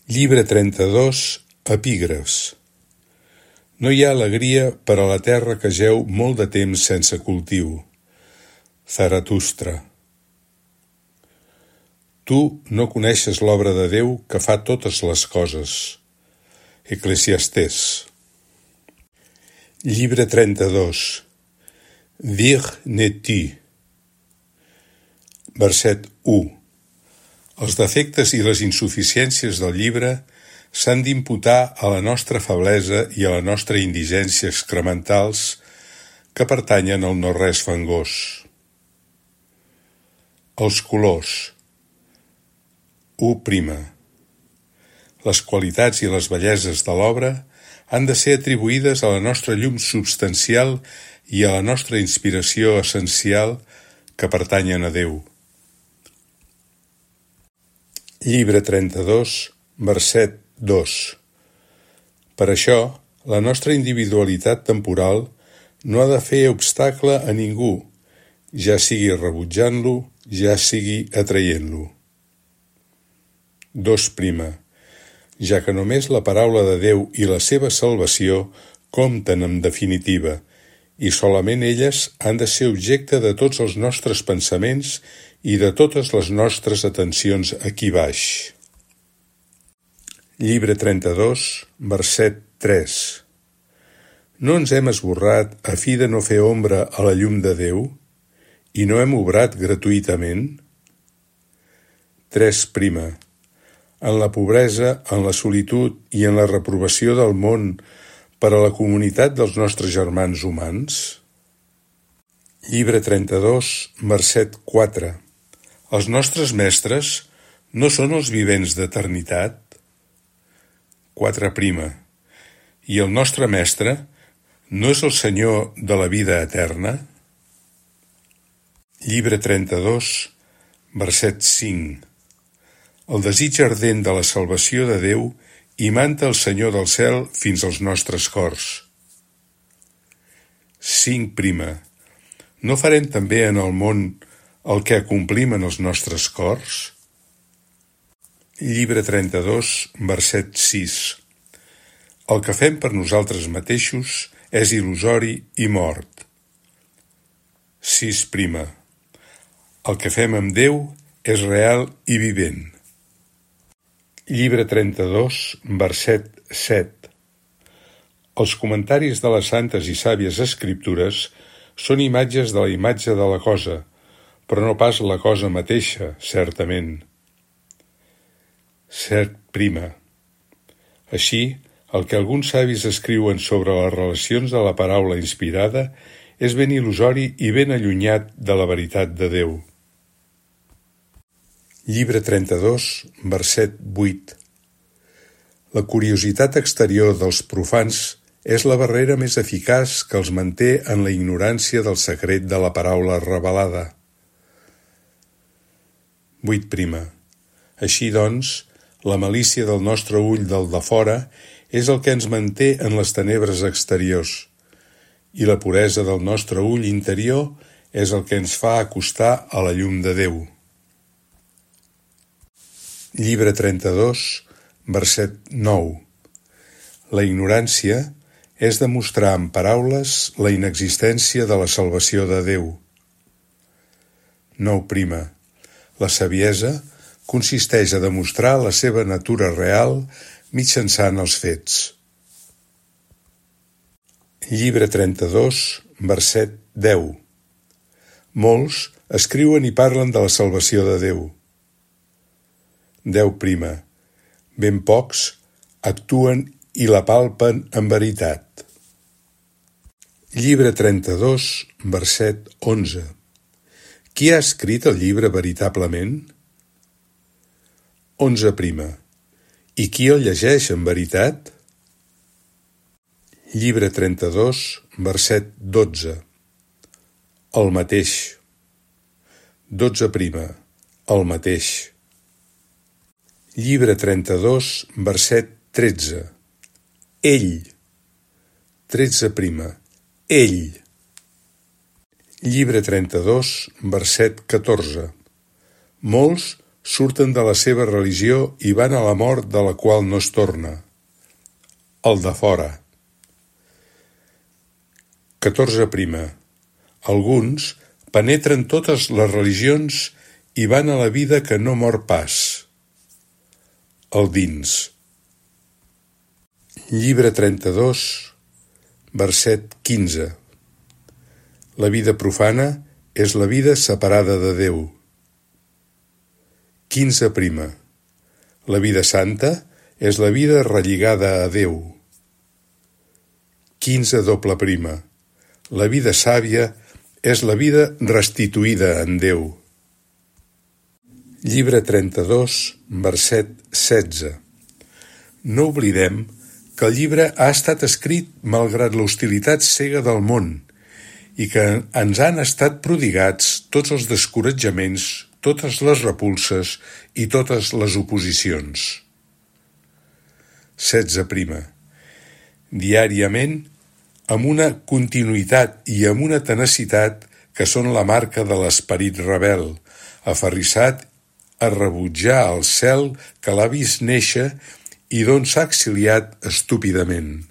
Llibre 32, epígrafs. No hi ha alegria per a la terra que jeu molt de temps sense cultiu. Zaratustra. Tu no coneixes l'obra de Déu que fa totes les coses. Eclesiastés. Llibre 32. Vir ne-tu. Verset 1. Els defectes i les insuficiències del llibre s'han d'imputar a la nostra feblesa i a la nostra indigència excrementals que pertanyen al no-res fangós. Els colors. 1. Les qualitats i les belleses de l'obra han de ser atribuïdes a la nostra llum substancial i a la nostra inspiració essencial que pertanyen a Déu. Llibre 32, verset 2. Per això, la nostra individualitat temporal no ha de fer obstacle a ningú, ja sigui rebutjant-lo, ja sigui atraient-lo. 2. Ja que només la paraula de Déu i la seva salvació compten en definitiva, i solament elles han de ser objecte de tots els nostres pensaments i de totes les nostres atencions aquí baix. Llibre 32, verset 3. No ens hem esborrat a fi de no fer ombra a la llum de Déu? I no hem obrat gratuïtament? 3. En la pobresa, en la solitud i en la reprovació del món per a la comunitat dels nostres germans humans? Llibre 32, verset 4. Els nostres mestres no són els vivents d'eternitat? 4. I el nostre mestre no és el Senyor de la vida eterna? Llibre 32, verset 5. El desig ardent de la salvació de Déu imanta el Senyor del cel fins als nostres cors. 5. No farem també en el món el que acomplim en els nostres cors? Llibre 32, verset 6. El que fem per nosaltres mateixos és il·lusori i mort. 6. El que fem amb Déu és real i vivent. Llibre 32, verset 7. Els comentaris de les santes i sàvies escriptures són imatges de la imatge de la cosa, però no pas la cosa mateixa, certament. 7. Així, el que alguns savis escriuen sobre les relacions de la paraula inspirada és ben il·lusori i ben allunyat de la veritat de Déu. Llibre 32, verset 8. La curiositat exterior dels profans és la barrera més eficaç que els manté en la ignorància del secret de la paraula revelada. 8. Així doncs, la malícia del nostre ull del defora és el que ens manté en les tenebres exteriors, i la puresa del nostre ull interior és el que ens fa acostar a la llum de Déu. Llibre 32, verset 9. La ignorància és demostrar amb paraules la inexistència de la salvació de Déu. 9. La saviesa consisteix a demostrar la seva natura real mitjançant els fets. Llibre 32, verset 10. Molts escriuen i parlen de la salvació de Déu. 10. Ben pocs actuen i la palpen en veritat. Llibre 32, verset 11. Qui ha escrit el llibre veritablement? 11. I qui el llegeix en veritat? Llibre 32, verset 12. El mateix. 12. El mateix. Llibre 32, verset 13. Ell. 13. Ell. Llibre 32, verset 14. Molts surten de la seva religió i van a la mort de la qual no es torna. El de fora. 14. Alguns penetren totes les religions i van a la vida que no mor pas. El dins. Llibre 32, verset 15. La vida profana és la vida separada de Déu. 15. La vida santa és la vida relligada a Déu. 15. La vida sàvia és la vida restituïda en Déu. Llibre 32, verset 16. No oblidem que el llibre ha estat escrit malgrat l'hostilitat cega del món i que ens han estat prodigats tots els descoratjaments, totes les repulses i totes les oposicions. 16. Diàriament, amb una continuïtat i amb una tenacitat que són la marca de l'esperit rebel, aferrissat a rebutjar el cel que l'ha vist néixer i d'on s'ha exiliat estúpidament.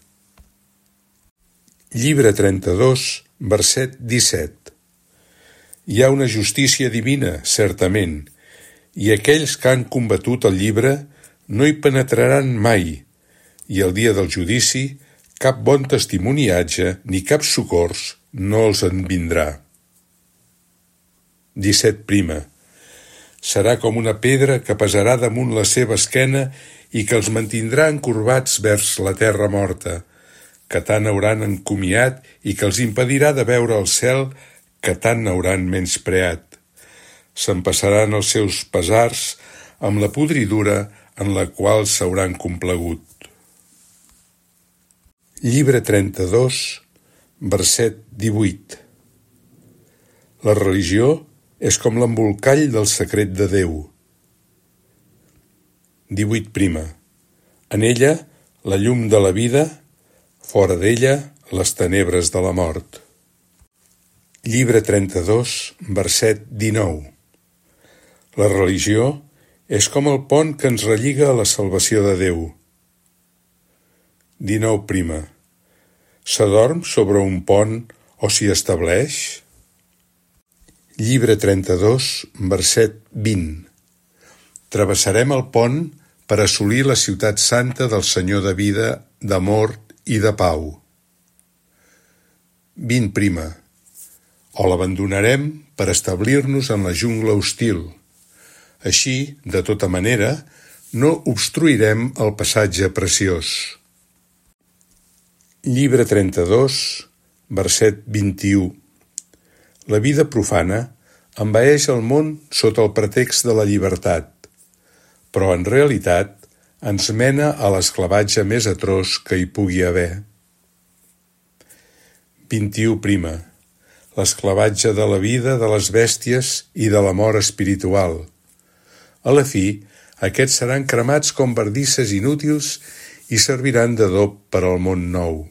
Llibre 32, verset 17. Hi ha una justícia divina, certament, i aquells que han combatut el llibre no hi penetraran mai, i el dia del judici cap bon testimoniatge ni cap socors no els en vindrà. 17. Serà com una pedra que pesarà damunt la seva esquena i que els mantindrà encorbats vers la terra morta, que tant hauran encomiat i que els impedirà de veure el cel que tant hauran menyspreat. S'empassaran els seus pesars amb la podridura en la qual s'hauran complagut. Llibre 32, verset 18. La religió és com l'embolcall del secret de Déu. 18. En ella, la llum de la vida, fora d'ella, les tenebres de la mort. Llibre 32, verset 19. La religió és com el pont que ens relliga a la salvació de Déu. 19. S'adorm sobre un pont o s'hi estableix? Llibre 32, verset 20. Travessarem el pont per assolir la ciutat santa del Senyor de vida, d'amor i de pau. 20. O l'abandonarem per establir-nos en la jungla hostil. Així, de tota manera, no obstruirem el passatge preciós. Llibre 32, verset 21. La vida profana envaeix el món sota el pretext de la llibertat, però en realitat ens mena a l'esclavatge més atroç que hi pugui haver. 21. L'esclavatge de la vida, de les bèsties i de la mort espiritual. A la fi, aquests seran cremats com bardisses inútils i serviran d'adob per al món nou.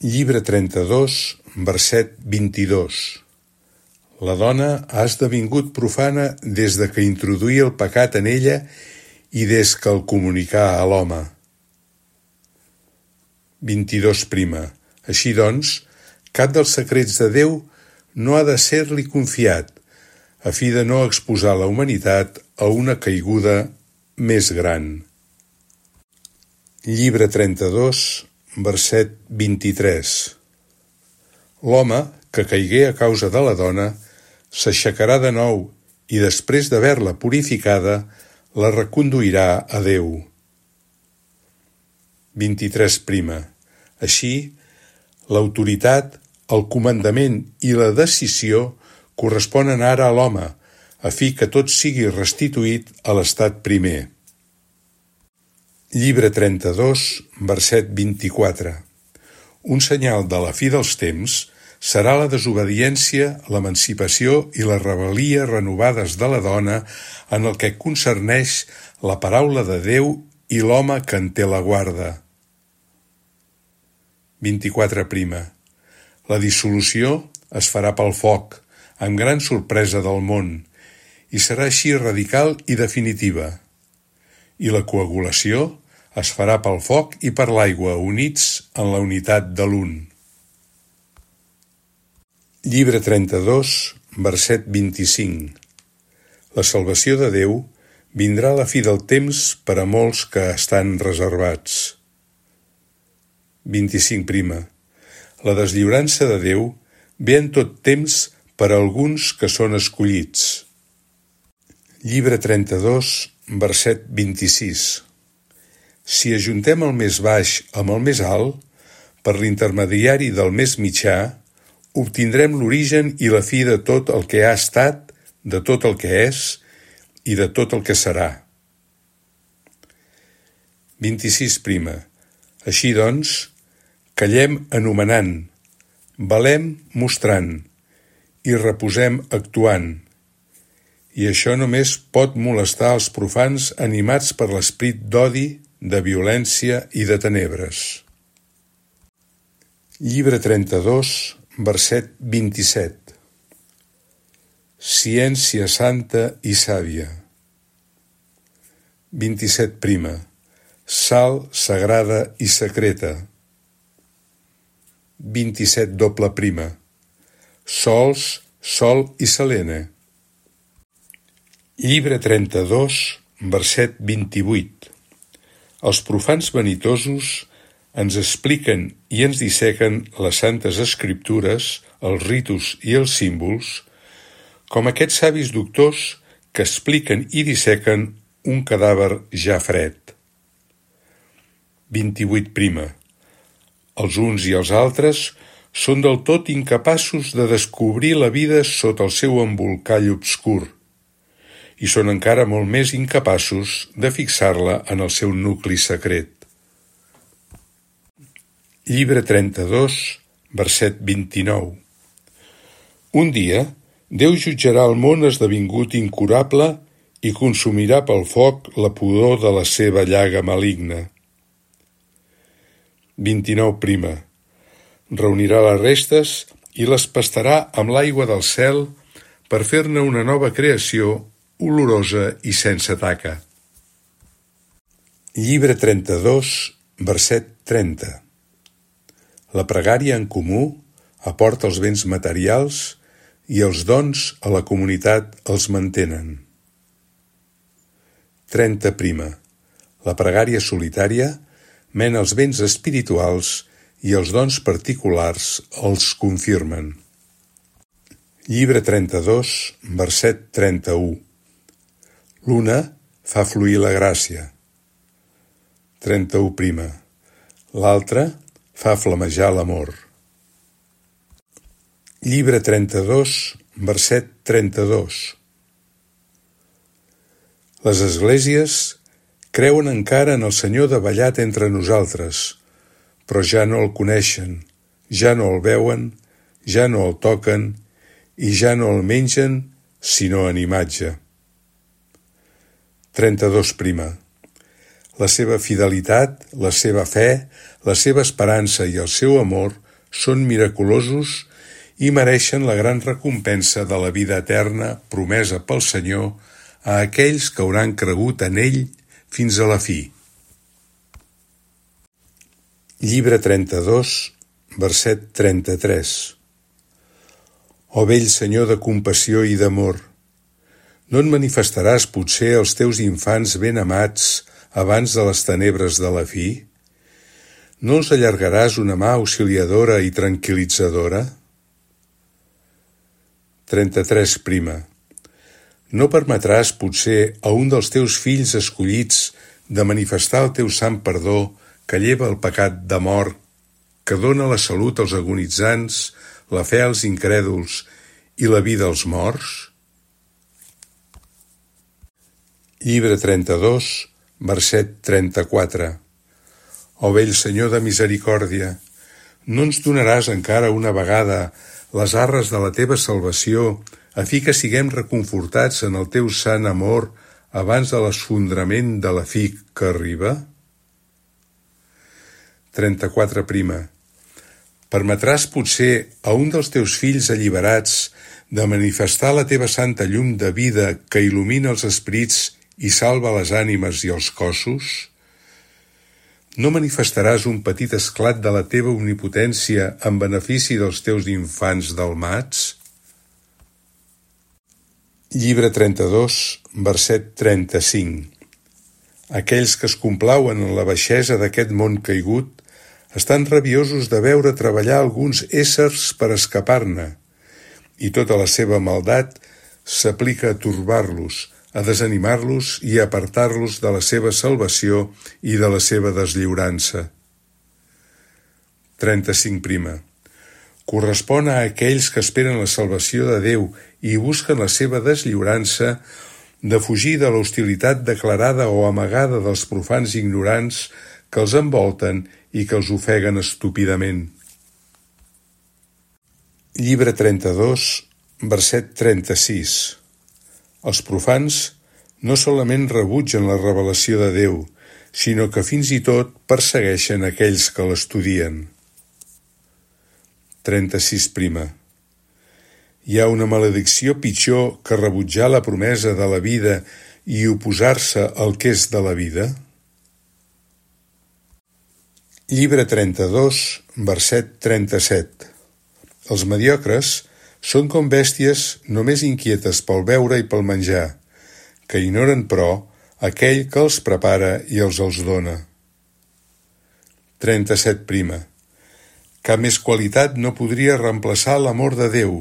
Llibre 32, verset 22. La dona ha esdevingut profana des de que introduí el pecat en ella i des que el comunicà a l'home. 22. Així doncs, cap dels secrets de Déu no ha de ser-li confiat, a fi de no exposar la humanitat a una caiguda més gran. Llibre 32, verset 23. L'home, que caigué a causa de la dona, s'aixecarà de nou i després d'haver-la purificada, la reconduirà a Déu. 23. Així, l'autoritat, el comandament i la decisió corresponen ara a l'home, a fi que tot sigui restituït a l'estat primer. Llibre 32, verset 24. Un senyal de la fi dels temps serà la desobediència, l'emancipació i la rebel·lia renovades de la dona en el que concerneix la paraula de Déu i l'home que en té la guarda. 24. La dissolució es farà pel foc, amb gran sorpresa del món, i serà així radical i definitiva. I la coagulació es farà pel foc i per l'aigua, units en la unitat de l'un. Llibre 32, verset 25. La salvació de Déu vindrà a la fi del temps per a molts que estan reservats. 25. La deslliurança de Déu ve en tot temps per a alguns que són escollits. Llibre 32, verset 26. Si ajuntem el més baix amb el més alt, per l'intermediari del més mitjà, obtindrem l'origen i la fi de tot el que ha estat, de tot el que és i de tot el que serà. 26. Així doncs, callem anomenant, valem mostrant i reposem actuant. I això només pot molestar els profans animats per l'esperit d'odi, de violència i de tenebres. Llibre 32, verset 27. Ciència santa i sàvia. 27. Sal sagrada i secreta. 27. Sols, sol i selene. Llibre 32, verset 28. Els profans vanitosos ens expliquen i ens dissequen les santes escriptures, els ritus i els símbols, com aquests savis doctors que expliquen i dissequen un cadàver ja fred. 28. Els uns i els altres són del tot incapaços de descobrir la vida sota el seu embolcall obscur i són encara molt més incapaços de fixar-la en el seu nucli secret. Llibre 32, verset 29. Un dia, Déu jutjarà el món esdevingut incurable i consumirà pel foc la pudor de la seva llaga maligna. 29. Reunirà les restes i les pastarà amb l'aigua del cel per fer-ne una nova creació olorosa i sense taca. Llibre 32, verset 30. La pregària en comú aporta els béns materials i els dons a la comunitat els mantenen. 30. La pregària solitària mena els béns espirituals i els dons particulars els confirmen. Llibre 32, verset 31. L'una fa fluir la gràcia. 31. L'altra fa flamejar l'amor. Llibre 32, verset 32. Les esglésies creuen encara en el Senyor davallat entre nosaltres, però ja no el coneixen, ja no el veuen, ja no el toquen i ja no el mengen, sinó en imatge. 32. La seva fidelitat, la seva fe, la seva esperança i el seu amor són miraculosos i mereixen la gran recompensa de la vida eterna promesa pel Senyor a aquells que hauran cregut en ell fins a la fi. Llibre 32, verset 33. Ó vell Senyor de compassió i d'amor, no en manifestaràs potser els teus infants ben amats abans de les tenebres de la fi? No els allargaràs una mà auxiliadora i tranquil·litzadora? 33. No permetràs potser a un dels teus fills escollits de manifestar el teu sant perdó que lleva el pecat de mort, que dóna la salut als agonitzants, la fe als incrèduls i la vida als morts? Llibre 32, verset 34. Ó vell Senyor de misericòrdia, no ens donaràs encara una vegada les arres de la teva salvació, a fi que siguem reconfortats en el teu sant amor abans de l'esfondrament de la fi que arriba? 34. Permetràs potser a un dels teus fills alliberats de manifestar la teva santa llum de vida que il·lumina els esperits i salva les ànimes i els cossos? No manifestaràs un petit esclat de la teva omnipotència en benefici dels teus infants dalmats? Llibre 32, verset 35. Aquells que es complauen en la baixesa d'aquest món caigut estan rabiosos de veure treballar alguns éssers per escapar-ne, i tota la seva maldat s'aplica a torbar-los, a desanimar-los i a apartar-los de la seva salvació i de la seva deslliurança. 35. Correspon a aquells que esperen la salvació de Déu i busquen la seva deslliurança de fugir de l'hostilitat declarada o amagada dels profans ignorants que els envolten i que els ofeguen estúpidament. Llibre 32, verset 36. Els profans no solament rebutgen la revelació de Déu, sinó que fins i tot persegueixen aquells que l'estudien. 36. Hi ha una maledicció pitjor que rebutjar la promesa de la vida i oposar-se al que és de la vida? Llibre 32, verset 37. Els mediocres són com bèsties només inquietes pel beure i pel menjar, que ignoren, però, aquell que els prepara i els dona. 37. Cap més qualitat no podria reemplaçar l'amor de Déu,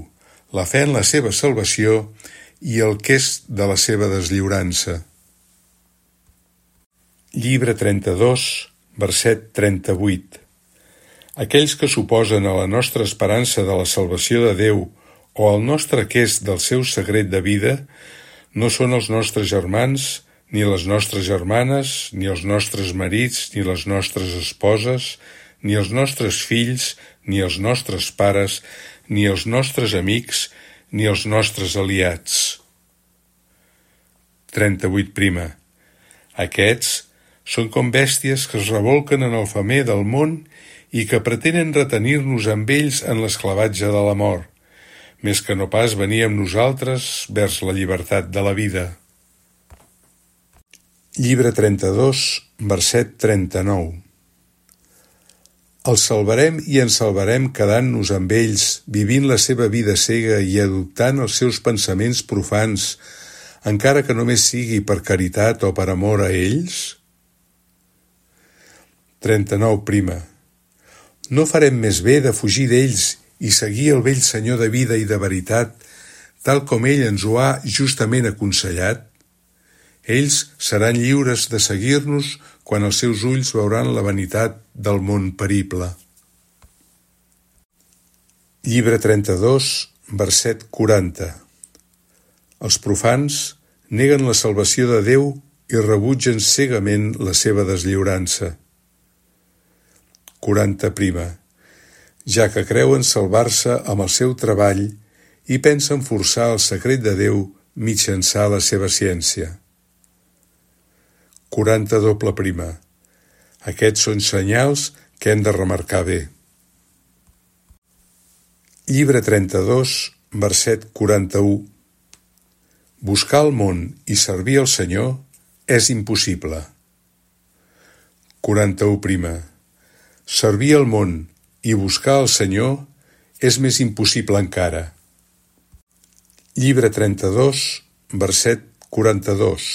la fe en la seva salvació i el que és de la seva deslliurança. Llibre 32, verset 38. Aquells que s'oposen a la nostra esperança de la salvació de Déu o al nostre quest del seu secret de vida no són els nostres germans, ni les nostres germanes, ni els nostres marits, ni les nostres esposes, ni els nostres fills, ni els nostres pares, ni els nostres amics, ni els nostres aliats. 38. Aquests són com bèsties que es rebolquen en el femer del món i que pretenen retenir-nos amb ells en l'esclavatge de la mort, més que no pas venir amb nosaltres vers la llibertat de la vida. Llibre 32, verset 39. Els salvarem i ens salvarem quedant-nos amb ells, vivint la seva vida cega i adoptant els seus pensaments profans, encara que només sigui per caritat o per amor a ells? 39. No farem més bé de fugir d'ells i seguir el vell Senyor de vida i de veritat, tal com ell ens ho ha justament aconsellat? Ells seran lliures de seguir-nos quan els seus ulls veuran la vanitat del món perible. Llibre 32, verset 40. Els profans neguen la salvació de Déu i rebutgen cegament la seva deslliurança. 40. Ja que creuen salvar-se amb el seu treball i pensen forçar el secret de Déu mitjançant la seva ciència. 42. Aquests són senyals que hem de remarcar bé. Llibre 32, verset 41. Buscar el món i servir el Senyor és impossible. 41. Servir el món i buscar el Senyor és més impossible encara. Llibre 32, verset 42.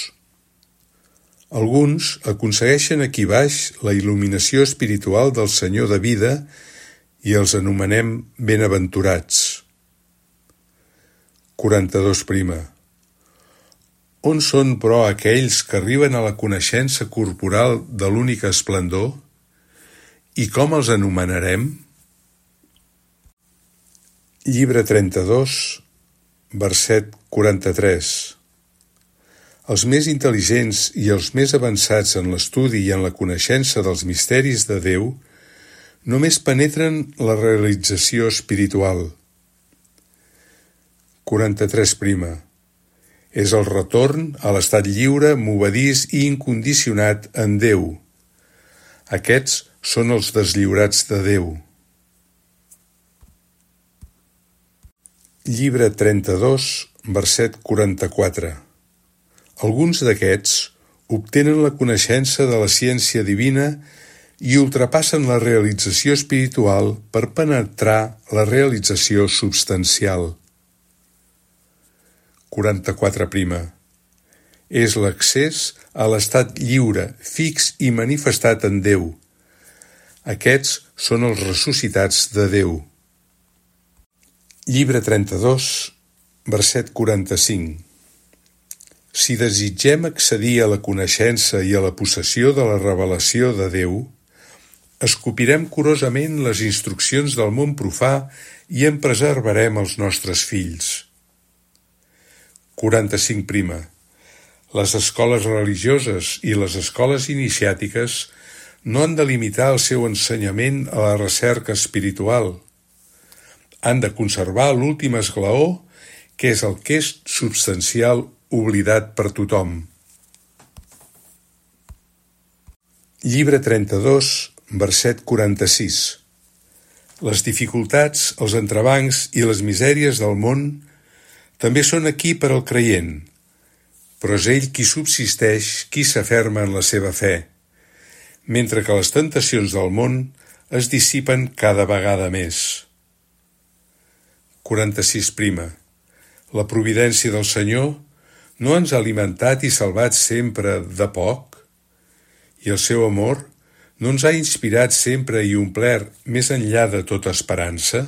Alguns aconsegueixen aquí baix la il·luminació espiritual del Senyor de vida i els anomenem benaventurats. 42. On són, però, aquells que arriben a la coneixença corporal de l'únic esplendor? I com els anomenarem? Llibre 32, verset 43. Els més intel·ligents i els més avançats en l'estudi i en la coneixença dels misteris de Déu només penetren la realització espiritual. 43. És el retorn a l'estat lliure, movediç i incondicionat en Déu. Aquests són els deslliurats de Déu. Llibre 32, verset 44. Alguns d'aquests obtenen la coneixença de la ciència divina i ultrapassen la realització espiritual per penetrar la realització substancial. 44. És l'accés a l'estat lliure, fix i manifestat en Déu. Aquests són els ressuscitats de Déu. Llibre 32, verset 45. Si desitgem accedir a la coneixença i a la possessió de la revelació de Déu, escopirem curosament les instruccions del món profà i en preservarem els nostres fills. 45. Les escoles religioses i les escoles iniciàtiques no han de limitar el seu ensenyament a la recerca espiritual. Han de conservar l'últim esglaó, que és el que és substancial oblidat per tothom. Llibre 32, verset 46. Les dificultats, els entrebancs i les misèries del món també són aquí per al creient, però és ell qui subsisteix, qui s'aferma en la seva fe, mentre que les tentacions del món es dissipen cada vegada més. 46. La providència del Senyor no ens ha alimentat i salvat sempre de poc? I el seu amor no ens ha inspirat sempre i omplert més enllà de tota esperança?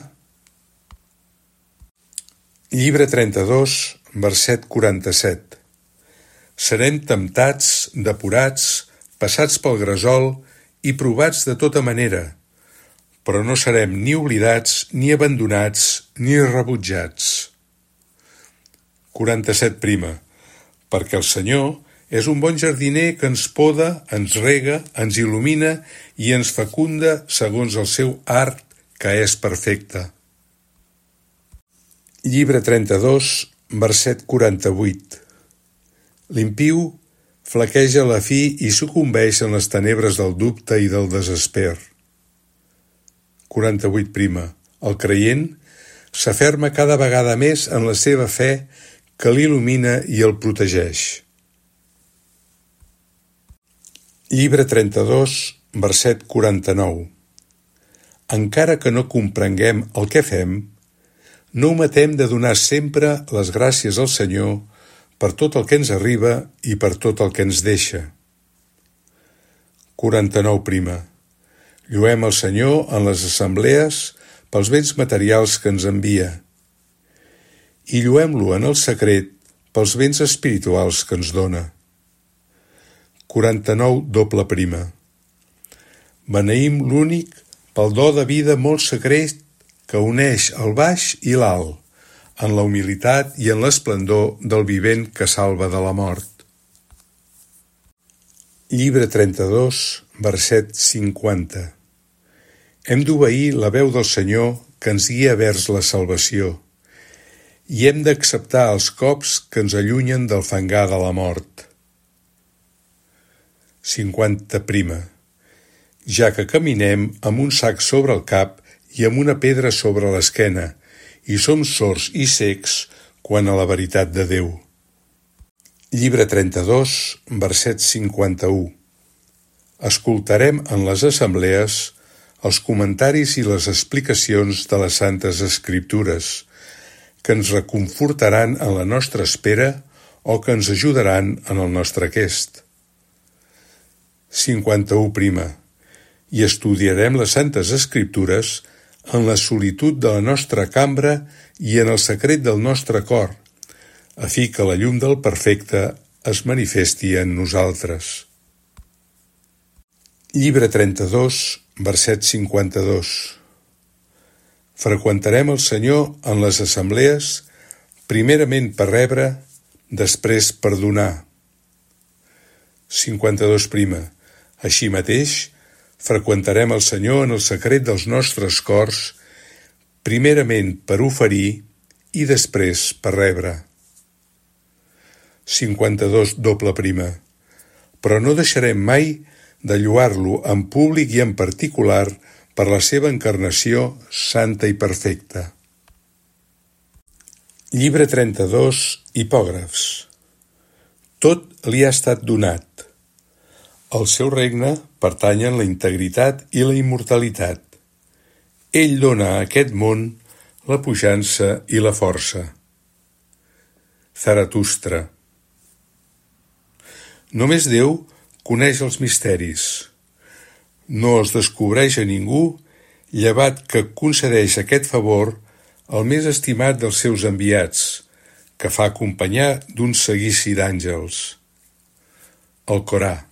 Llibre 32, verset 47. Serem temptats, depurats, passats pel gresol i provats de tota manera, però no serem ni oblidats, ni abandonats, ni rebutjats. 47. Perquè el Senyor és un bon jardiner que ens poda, ens rega, ens il·lumina i ens fecunda segons el seu art, que és perfecte. Llibre 32, verset 48. L'impiu flaqueja a la fi i sucumbeix en les tenebres del dubte i del desesper. 48. El creient s'aferma cada vegada més en la seva fe que l'il·lumina i el protegeix. Llibre 32, verset 49. Encara que no comprenguem el que fem, no ometem de donar sempre les gràcies al Senyor per tot el que ens arriba i per tot el que ens deixa. 49. Lloem el Senyor en les assemblees pels béns materials que ens envia i lloem-lo en el secret pels béns espirituals que ens dona. 49. Beneïm l'únic pel do de vida molt secret que uneix el baix i l'alt, en la humilitat i en l'esplendor del vivent que salva de la mort. Llibre 32, verset 50. Hem d'obeir la veu del Senyor que ens guia vers la salvació i hem d'acceptar els cops que ens allunyen del fangar de la mort. 50. Ja que caminem amb un sac sobre el cap i amb una pedra sobre l'esquena, i som sords i cecs quant a la veritat de Déu. Llibre 32, verset 51. Escoltarem en les assemblees els comentaris i les explicacions de les Santes Escriptures, que ens reconfortaran en la nostra espera o que ens ajudaran en el nostre aquest. 51. I estudiarem les Santes Escriptures en la solitud de la nostra cambra i en el secret del nostre cor, a fi que la llum del perfecte es manifesti en nosaltres. Llibre 32, verset 52. Freqüentarem el Senyor en les assemblees, primerament per rebre, després per donar. 52. Així mateix, freqüentarem el Senyor en el secret dels nostres cors, primerament per oferir i després per rebre. 52. Però no deixarem mai de lloar-lo en públic i en particular per la seva encarnació santa i perfecta. Llibre 32, Hipògrafs. Tot li ha estat donat. Al seu regne pertanyen la integritat i la immortalitat. Ell dona a aquest món la puixança i la força. Zaratustra. Només Déu coneix els misteris. No els descobreix a ningú, llevat que concedeix aquest favor el més estimat dels seus enviats, que fa acompanyar d'un seguici d'àngels. El Corà.